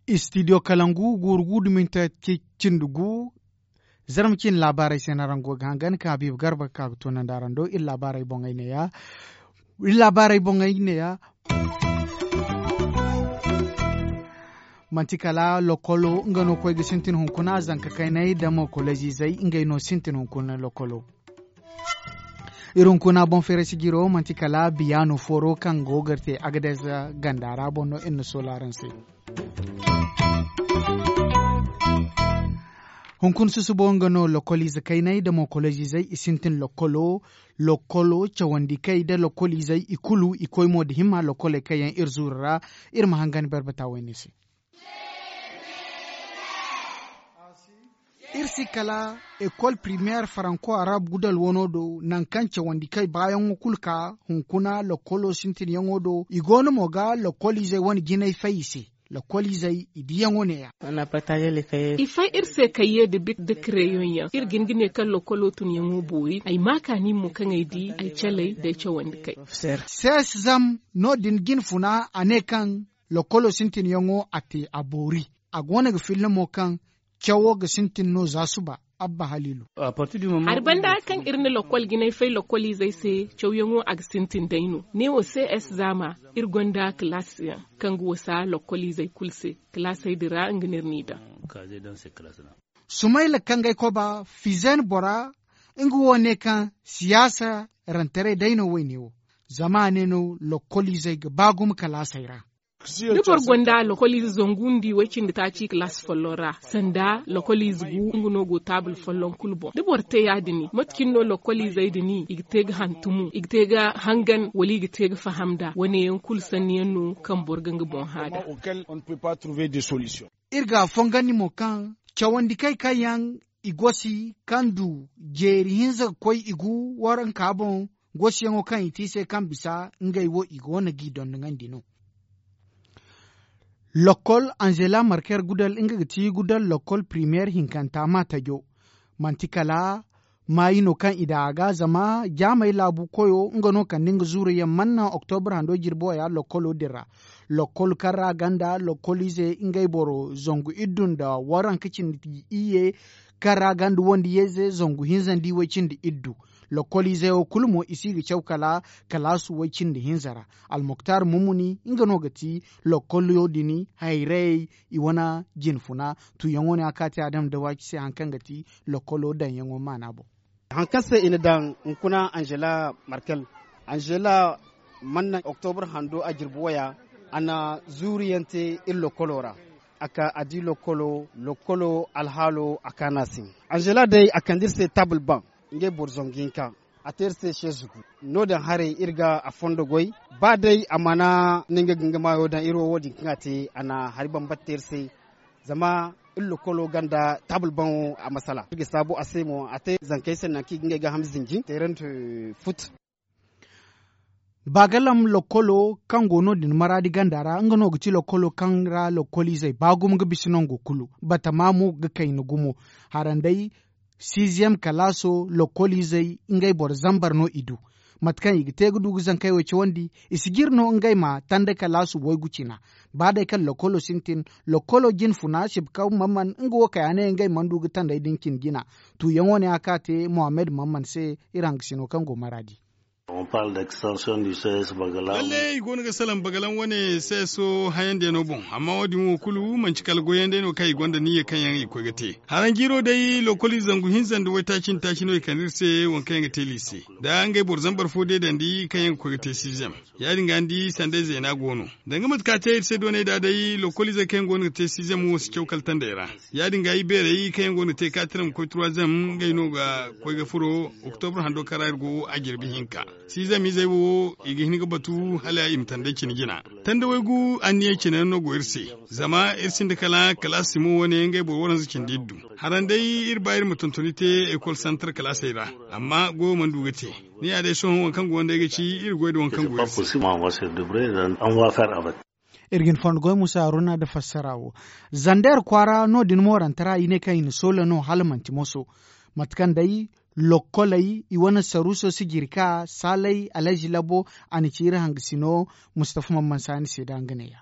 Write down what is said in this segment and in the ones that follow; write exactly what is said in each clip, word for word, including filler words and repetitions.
Istidiyo kalangu guuru gu duminta cindi gu. Zarma ciine laabaarey se no araŋ go ga hangan ka habiiba garba ga ka ga toonandi araŋ do iri laabaarey boŋey neeya. Iri laabaarey boŋey neeya. Manti kala lokolo nga no koy ga sintin hunkuna zanka kayney da mo kolejizey ngey no sintin hunkuna lokolo. Iri hunkuna boŋ feere sijiro manti kala biyaano fooro kaŋ go ga te agadez ganda ra boŋ no iri na sola araŋ se. Hunkuna susubo nga no lokoliize kayney da mo kolejizey i sintin lokolo. Lokolo cawandi kay da lokoliizey i kulu i koy mo da himma lokoley kaŋ yaŋ iri zuuru ra. Iri ma hangan barbata wayne se. Iri si kala ekol primeer faranko arab gudal wano do nangu kaŋ cawandi kay baayaŋo kulu ka hunkuna lokolo sintinyaŋo do i go no mo ga lokoliizey wane jinay fay i se. Lokoliizey i diyaŋo neeya. I fay iri se kayye nda bik nda kareyoŋ yaŋ iri ga hin ga ne kaŋ lokolo tunyaŋo boori ay ma kaani mo kaŋ ay di ay calay nda ay cawandi kay. Sees zam no- din jinfuna a ne kaŋ lokolo sintinyaŋo a te a boori. A go no ga filla mo kaŋ cawo ga sintin no za suba. Abba haliilu. Hari banda kaŋ iri na lokol jinay fay lokoliizey se cawyaŋo a ga sintin day no ne wo se es zaama iri gonda kalaas yaŋ kaŋ ga wasa lokoliizey kulu se. Kalaasey din ra nga no iri n'i daŋ. Sumayla kaŋ ga ay koba fizen bora nga wo ne kaŋ siyaasa rantaray day no wayne wo. Zama a ne no lokoliizey ga ba gumo kalaasey ra. Da boro gonda lokoliize zangu nda way-cindi taaci kalaas folloŋ ra sanda lokoliize gu nga no go taabul folloŋ kulu boŋ da boro te ya- din mate cine no lokoliizey din i ga te ga hantumu i ga te ga hangan wala i ga te ga faham nd'a wane yaŋ kulu sanni yaŋ no kaŋ boro ga nga boŋ hã nd'a. Iri ga a fongandi mo kaŋ cawandi kay kaŋ yaŋ i gosi kaŋ du jeeri hinza ga koy i gu waranka boŋ. Gosiyaŋo kaŋ i te i se kaŋ bisa ngey wo i go no g'i dondoŋandi no. Lokkol anzela marker gudal nga ga ti gudal lokkol primeer hinkanta ma tajo. Manti kala maayi no kaŋ i daŋ a ga zama jaamey laabu koyo nga no kande nga zuuru yaŋ manna oktobar hando jirbi waya lokkolo din ra. Lokkol kaŋ ra ganda lokkoliize ngey boro zangu iddu nda waranka cindi iyye kaŋ ra ganda wandiyayze zangu hinza nda iway cindi iddu. Lokkoliizey wo kulu mo i si ga caw kala kalaasu way cindi hinza ra. Almuktar mumuni nga no ga ti lokkolyo din hayrayey i wane jinfuna. Tuuyaŋo ne a kaati adam da waaci se hari kaŋ ga ti lokkolo daŋyaŋo maana boŋ. Hari kaŋ se i na daŋ hunkuna anzela markel anzela manna oktobar hando a jirbi waya a na zuuriyaŋ te iri lokkolo ra. A ka a di lokkolo lokkolo alhaalo a kaana se. Anzela day a kande iri se taabul baŋ ngey boro zangu hinka. A te iri se seezugu no- din haray iri ga a fondo goy. Ba day a mana no nga ga nga maayo daŋ iri wo wo- din kaŋ a te a na hari bambata te iri se. Zama iri lokkolo ganda taabul baŋo a masala iri ga saabu a se mo a te zankey se nangu kaŋ i ga ngey gaaham zinji teerante. Fut. Baagalam lokkolo kaŋ go no- din maraadi ganda ra nga no ga ti lokkolo kaŋ ra lokkoliizey ba gumo ga bisa nango kulu batama mo ga kayna gumo. Haranday siiziyam kalaaso lokkoliizey ngey boro zambar no i du. Mate kaŋ i ga te ga du ga zankey wo cawandi i si jire no ngey ma tanda kalaasu waygu cina. Ba day kaŋ lokkolo sintin lokkolo jinfuna sibkaw mamman nga wo kay a ne ngey mana du ga tanday din cine jina. Tuuyaŋo ne a ka te mohammed mamman se iri hangasino kaŋ go maraadi. Lallay i go no ga salaŋ bagalaŋ wane seeso hayandiyaŋo boŋ amma wo- din wo kulu manci kala goyyaŋ day no kaŋ i gonda niyya kaŋ yaŋ i ga koy ga te. Haraŋ jiiro day lokkoliize zangu hinza nda waytaaci nda taaci no i kande iri se waŋ kaŋ yaŋ ga te liise. Da ngey boro zambar fo deedandi kaŋ yaŋ ga koy ga te siizem. Ya- din ga ni di sanday zeena go no. Danga mate kaŋ a te iri se doonay da day lokkoliizey kaŋ yaŋ go no ga te siizem wo si caw kala tandey ra. Ya- din ga ibeerey kaŋ yaŋ go no ga te kaatiram ga koy turwazem ngey no ga koy ga furo. Oktobar hando kaŋ ra iri go a jirbi hinka. Siizem izey wo i ga hin ga batu hala i ma tandey cine jina. Tanda waygu anniyey cine yaŋ no go iri se. Zama iri sinda kala kalaasi mo wane ngey boro waranza cindi iddu. Haraŋ day iri ba iri ma tontoni te ekol santar kalaasey ra. Amma goyo mana du ga te. Ni ya day sohõ waŋ kaŋ go nda ay ga ci iri goy nda waŋ kaŋ go iri se. Iri ga ni fondo goy musa haruna nda fassara wo. Zander kwaara no- din moorante ra i ne kaŋ i na soola no hala manti moso. Mate kaŋ day lokkoley i wane saruuso si jiri ka saalay alhazi labo. A na ci iri hangasino mustafa mamman saani se da nga neeya.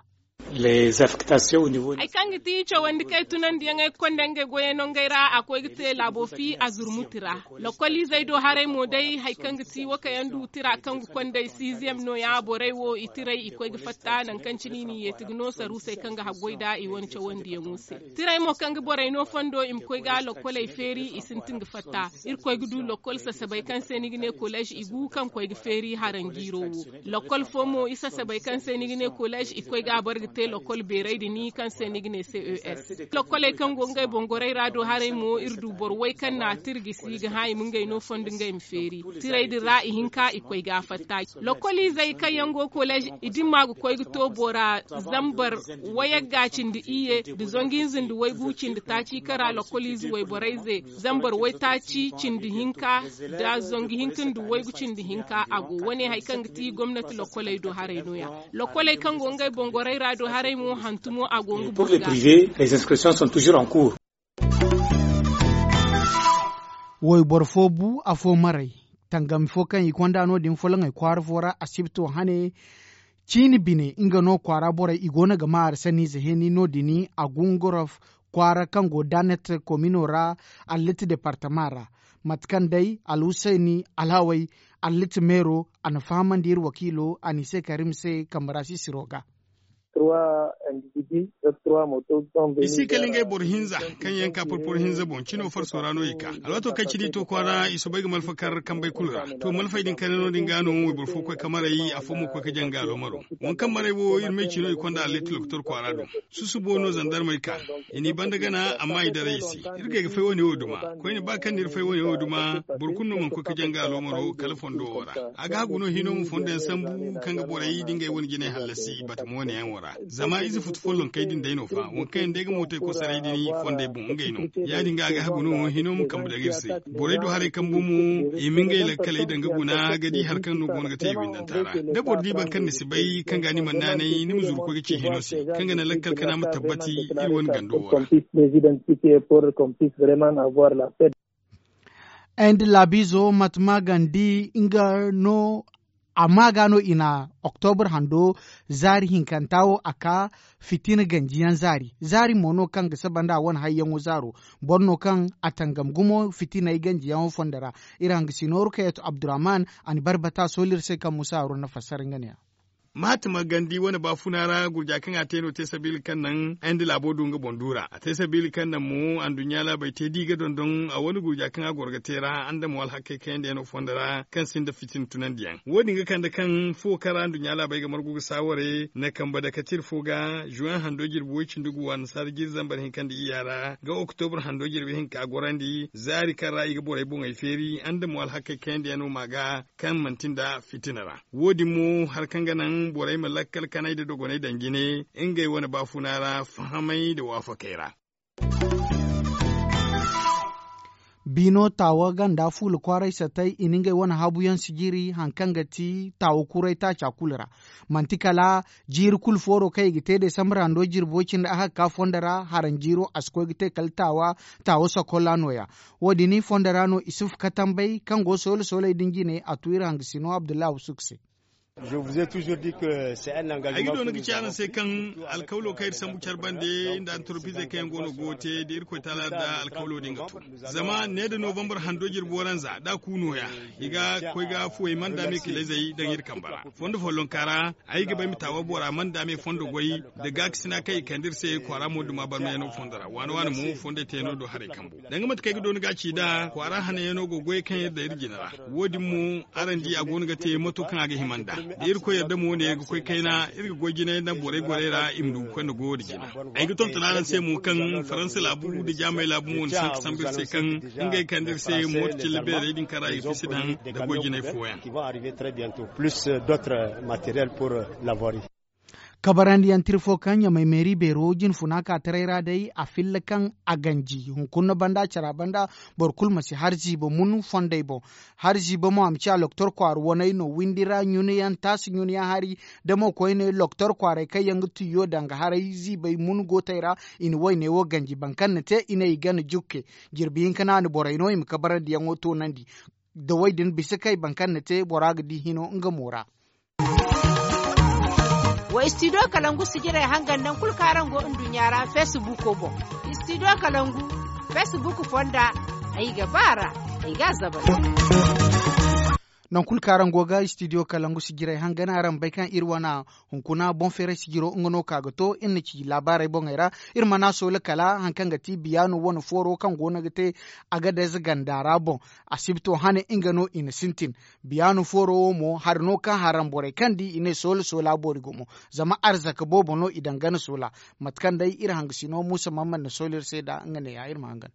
Hari kaŋ ga ti cawandi kaŋ ay tunandi yaŋ ay ga konda ngey goyey no ngey ra a koy ga te laabo fi a zurmuti ra. Lokkoliizey do haray mo day hari kaŋ ga ti wo kaŋ yaŋ du tira kaŋ ga konda ay siiziyam no- ya borey wo i tiray i koy ga fatta nangu kaŋ cine i n'i yeeti ga no saruusey kaŋ ga haggoy nd'a i wane cawandiyaŋo se. Tiray mo kaŋ ga borey no fondo i ma koy ga lokkoley feeri i sintin ga fatta. Iri koy ga du lokkol sasabey kaŋ se ni ga ne kolleez i gu kaŋ koy ga feeri haranjiiro wo. Lokkol fo mo i sasabey kaŋ se ni ga ne kolleez i koy ga a bare ga te lokkol beeray din kaŋ se ni ga ne ces. Lokkoley kaŋ go ngey boŋ gorey ra do haray mo iri du boro way kaŋ na a tira gisi ga hã i ma ngey no fondo ngey ma feeri. Tiray din ra ihinka i koy ga a fatta. Lokkoliizey kaŋ yaŋ go kolleez i dimma ga koy ga to bora zambar wayagga cindi iyye nda zangu hinza nda waygu cindi taaci kaŋ ra lokkoliize wayborey ze zambar waytaaci cindi hinka nda zangu hinka nda waygu cindi hinka a go wane hari kaŋ ga ti gomnati lokkoley do haray no- ya. Lokkoley kaŋ go ngey boŋ gorey ra do haray mo hantumo a go nga boro ga. Wayboro fo bu afo maray tangami fo kaŋ i konda no- din folaŋey kwaara fo ra asibto hane. Ciini bine nga no kwaara borey i go no ga ma hari sanniize heni no- din a gungorof kwaara kaŋ go danet komino ra. Allit departama ra mate kaŋ day alhusayni alhaway allit meero a na fahamandi iri wakiilo a n'i se karim se kambe ra sisiro ga. I si kala ngey boro hinza kaŋ yaŋ ka porporo hinza boŋ cino farso ra no i ka alwaato kaŋ cine i to kwaara i soobay ga malfa kar kambey kulu ra. To malfey din kayna no- din ga no wayboro fo koy ka maray afo mo koy ka jaŋ ga aloomaro. Waŋ kaŋ maray wo iri may cino i konda allet lokotor kwaara do. Susubo no zandarmey ka i n'i banda gana amma i daray i se. Iri ga ay ga fay wane wo duma koyne ba kaŋ na iri fay wane wo duma. Boro kulu no mana koy ka jaŋ ga aloomaro kala fondo wo ra. A ga hagu no hino ma fondo yaŋ sambu kaŋ ga borey da ngey wane jinay hallasi batama wane yaŋ wo ra. Zama ize futu follonkey din day no fa waŋ kaŋ yaŋ day ga mootey kosaray din fondey boŋ ngey no. Ya- din ga a ga hagu no hino ma kambe daŋ iri se. Borey du haray kambu mo i ma ngey lakkaley daŋ ga guna ga di hari kaŋ no go no ga te i windanta ra. Da boro di boro kaŋ ni si bay kaŋ ga ni mana naanay ni ma zuru koy ga ci hino se kaŋ ga naŋ lakkal kana ma tabbati iri wane gando wo ra. Ay nda laabiizo mate ma gandi nga no. Amma ga no i na oktobur hando zaari hinkanta wo a ka fitina ganjiyaŋ zaari zaari mo no kaŋ ga saba nda a wane hayyaŋo zaaro. Boro no kaŋ a tangam gumo fitiney ganjiyaŋo fondo ra. Iri hangasino rukayatu abdurrahman a na barbata sooliri se kaŋ musa haruna fassara nga ne ya. Mahatima gandi wane baafuna ra gurja kaŋ a te no te sabiila kaŋ naŋ ay nda laabo du nga boŋ du ra a te sabiila kaŋ naŋ mo anduɲɲa laabey te da i ga dondon a wane gurja kaŋ a goro ga te ra andamo alhakkey kayandi yaŋ no fondo ra kaŋ sinda fitina tunandi yaŋ wo- din ga kande kaŋ fuwo kaŋ ra anduɲɲa laabey ga margu ga saaware na kambe dakatir fo ga zuwan hando jirbi woy cindi gu annasaara jiri zambar hinka nda iyya ra ga oktobur hando jirbi hinka gorandi zaari kaŋ ra i ga borey boŋey feeri andamo alhakkey kayandi yaŋ no ma ga kaŋ manti nda fitina ra. Wo- din mo hari kaŋ ga naŋ borey ma lakkal kanay nda dogonay daŋ jine ngey wane baafuna ra fahamay nda waafakey ra. Biino taawa ganda fuula kwaaray satay i na ngey wane habuyaŋ sijiri hari kaŋ ga ti taawa kuray taaca kulu ra. Manti kala jiiri kulu fooro kaŋ i ga te desambar hando jirbo cindi a ga ka fondo ra haranjiiro a si koy ga te kala taawa. Taawa sakolla no- ya. Wo- din fondo ra no isuf katambay kaŋ go soole sooley din jine a tu iri hangasino abdullahi wusuk se. Ay ga doona ga ci araŋ se kaŋ alkawlo kaŋ iri sambu care bande nda antoropizey kaŋ yaŋ go no go ga te da irkoy taala nda alkawlo din ga to. Zama ne da novambar hando jirbi waranza da a ku nooya i ga koy ga fuwey manda me kilezey daŋ iri kamba ra. Fondo follonka ra ay ga bay ma taawa bora manda me fondo goy da gaakasina kaŋ i kande iri se kwaara mo duma barmayano fondo ra waane waane mo fondey teeno do haray kambu. Danga mate kaŋ ay ga doona ga ci nd'a kwaara hanayano go goy kaŋ iri daŋ iri jine ra. Wo- din mo araŋ di a go no ga te mato kaŋ a ga hima nd'a da irkoy yadda mo ne ga koy kayna iri ga goy jinay nda borey gorey ra i ma du ga koy nda goyo nda jina. Ay ga tonton araŋ se mo kaŋ faransa laabu nda jaamay laabu mo na sanka sambu iri se kaŋ ngey kande iri se mooto cilla beerey din kaŋ ra i ga fisi daŋ nda goy jinay fooyaŋ. Kabarandiyaŋ tira fo kaŋ ɲamay meeri beero jinfuna ka taray ra day a filla kaŋ a ganji hunkuna banda cara banda. Boro kulu ma si hari ziiba mun fondey boŋ. Hari ziiba mo a ma ciya loktor kwaara waney no windi ra ɲunayaŋ taasi ɲunayaŋ hari. Da mo koyne loktor kwaaray kaŋ yaŋ ga tuyo danga haray ziibay mun gootey ra. I na woyne wo ganji boro kaŋ na te i ne i gana jukke. Jirbi hinka no a na borey no i ma kabarandiyaŋo toonandi. Da woy din bisa kay boro kaŋ na te bora ga di hino nga mo ra. Wa istidiyo kalangu sijirey hangan nangu kulu kaŋ araŋ go nduɲɲa ra feesibuuko boŋ. Istidiyo kalangu feesibuuko fonda. Ay ga ba a ra. Ay ga a zabal. Nangu kulu kaŋ araŋ go ga istidiyo kalangu sijirey hangan araŋ bay kaŋ iri wane hunkuna boŋ feeray sijiro nga no ka ga to iri na ci laabaarey boŋey ra. Iri mana soola kala hari kaŋ ga ti biyaano wane fooro kaŋ go no ga te. Agadez ganda ra boŋ. Asibto hane nga no i na sintin. Biyaano fooro wo mo hari no kaŋ haram borey kaŋ di i ne soola soola boori gumo. Zama arzaka boobo no i daŋ gana soola. Mate kaŋ day iri hangasino muusa mamman na soola iri se nd'a nga neeya iri ma hangan.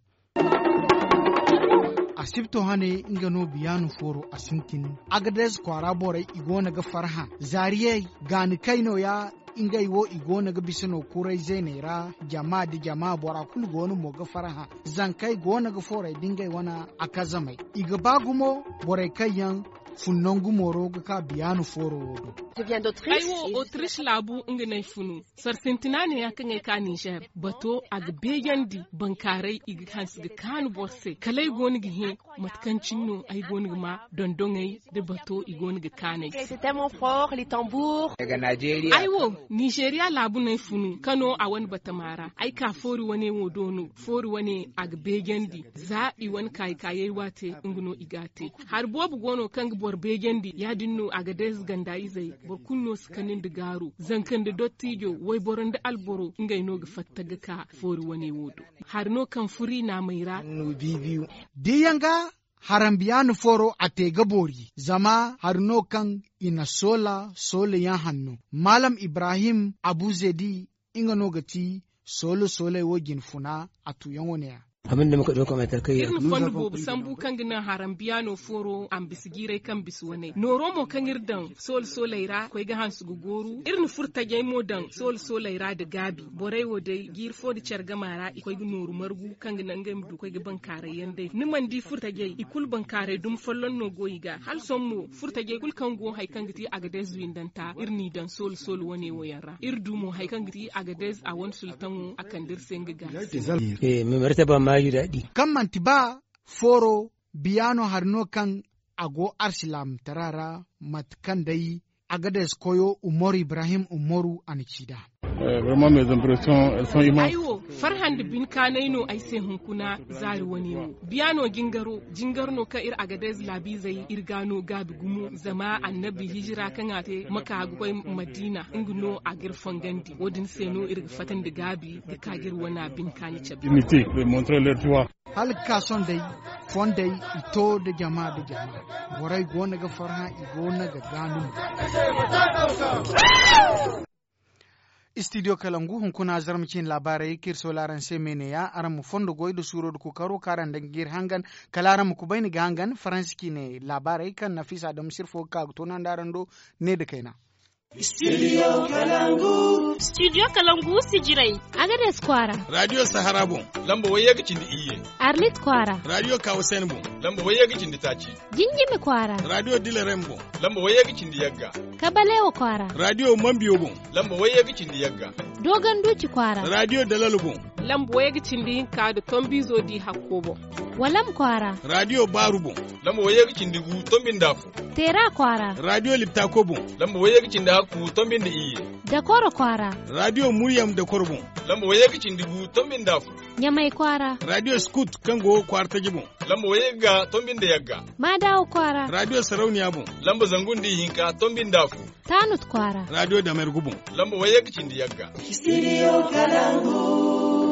Asibto hane nga no biyaano fooro a sintin. Agadez kwaara borey i go no ga farhã. Zaariyey gaani kay nooya. Ngey wo i go no ga bisa no kuray zeeney ra. Jama nda jama bora kulu go no mo ga farhã. Zankey go no ga foorey da ngey wane akazamey. I ga ba gumo borey kaŋ yaŋ fun nangu mooro ga ka biyaano fooro wo do. Ay wo otrish laabu nga no ay funu. Sara sintina neeya kaŋ ay ka ninzeer bato a ga beejandi. Bankaaray i ga hanse ga kaanu boro se kala ay go no ga hẽ. Mate kaŋ cine no ay go no ga ma dondoŋey da bato i go no ga kaanay. Ay wo nizeeriya laabu no ay funu kano a wane batama ra ay ka foori wane wo do no. Foori wane a ga beejandi za i wane kaayi kaayey waate. Nga no i ga a te hari boobo go no kaŋ ga boro beejandi ya- din no a ga day ganda izey. Boro kulu no si kani nda gaaru zanka nda dottijo wayboro nda alboro ngey no ga fatta ga ka foori wane wo do. Hari no kaŋ furi naamey ra. Diyaŋ ga harambiyaana fooro a te ga boori zama hari no kaŋ i na soola soola yaŋ hanno. Maalam ibrahim abu zedi nga no ga ti soola soolay wo jinfuna a tuuyaŋo ne- ya. Iri na fondo boobo sambu kaŋ ga naŋ harambiyaano fooro a ma bisa jiiray kaŋ bisa wane nooro mo kaŋ iri daŋ soola soolay ra koy ga hanse ga gooru iri na furtajey mo daŋ soola soolay ra nda gaabi. Borey wo day jiiri fo nda care gama ra i koy ga nooru margu kaŋ ga naŋ ngey ma du koy ga bankaaray yaŋ day ni mana di furtajey i kulu bankaaray dumi folloŋ no go i ga hala sohõ mo furtajey kulu kaŋ go hari kaŋ ga ti agadez windanta iri n'i daŋ soola soola wane wo yaŋ ra iri du mo hari kaŋ ga ti agadez a wane sultaŋo a kande iri se nga gaasi. Kaŋ manti ba fooro biyaano hari no kaŋ a go arsilaamtara ra mate kaŋ day agadez koyo umaru ibrahim umaru a na ci nd'a. Ay wo farhã nda binkaanay no ay se hunkuna zaari wane wo biyaano jingaro jingar no kaŋ iri agadez laabiizey iri ga no gaabi gumo zama annabi hijira kaŋ a te maka ga koy madiina nga no a ga iri fangandi wo- din se no iri ga fatta nda gaabi ga ka ga iri wana binkaani cabe. Hala ga ka sohõ day fondey i to nda jama nda jama borey go no ga farhã i go no ga gaanu. Istidiyo kalangu hunkuna zarma ciine laabaarey kaŋ iri soola araŋ se me neeya araŋ ma fondo goy nda suuro nda kookaro kaŋ araŋ daŋ ga iri hangan kala araŋ ma kubay ni ga hangan faransi ciine laabaarey kaŋ nafiisa adamu sirfo ga ka ga toonandi araŋ do. Ne nda kayna. Studio kalangu sijirey. Agades kwaara. Radiyo sahara boŋ. Lamba wayye ga cindi iyye. Arlit kwaara. Radiyo kawasen boŋ. Lamba wayye ga cindi taaci. Jinjimi kwaara. Radiyo dilarem boŋ. Lamba wayye ga cindi yagga. Kabalewa kwaara. Radiyo mambiyo boŋ. Lamba wayye ga cindi yagga. Dogon duci kwaara. Radiyo dalalo boŋ. Lamba wayye ga cindi hinka nda tombizo di hakko boŋ. Walam kwaara. Radiyo baaru boŋ. Lamba wayye ga cindi gu tombi nda afo. Teera kwaara. Radiyo liptako boŋ. Lamba wayye ga cindi hakku tombi nda iyye. Dakoro kwaara. Radiyo muryam dakoro boŋ. Lamba wayye ga cindi gu tombi nda afo. Ɲamay kwaara. Radiyo skut kaŋ go kwaara taji boŋ. Lamba wayye ga tombi nda yagga. Maadawa kwaara. Radiyo sarauniya boŋ. Lamba zangu nda ihinka tombi nda afo. Taanut kwaara. Radiyo damergu boŋ. Lamba wayye ga cindi yagga. Studio kalangu.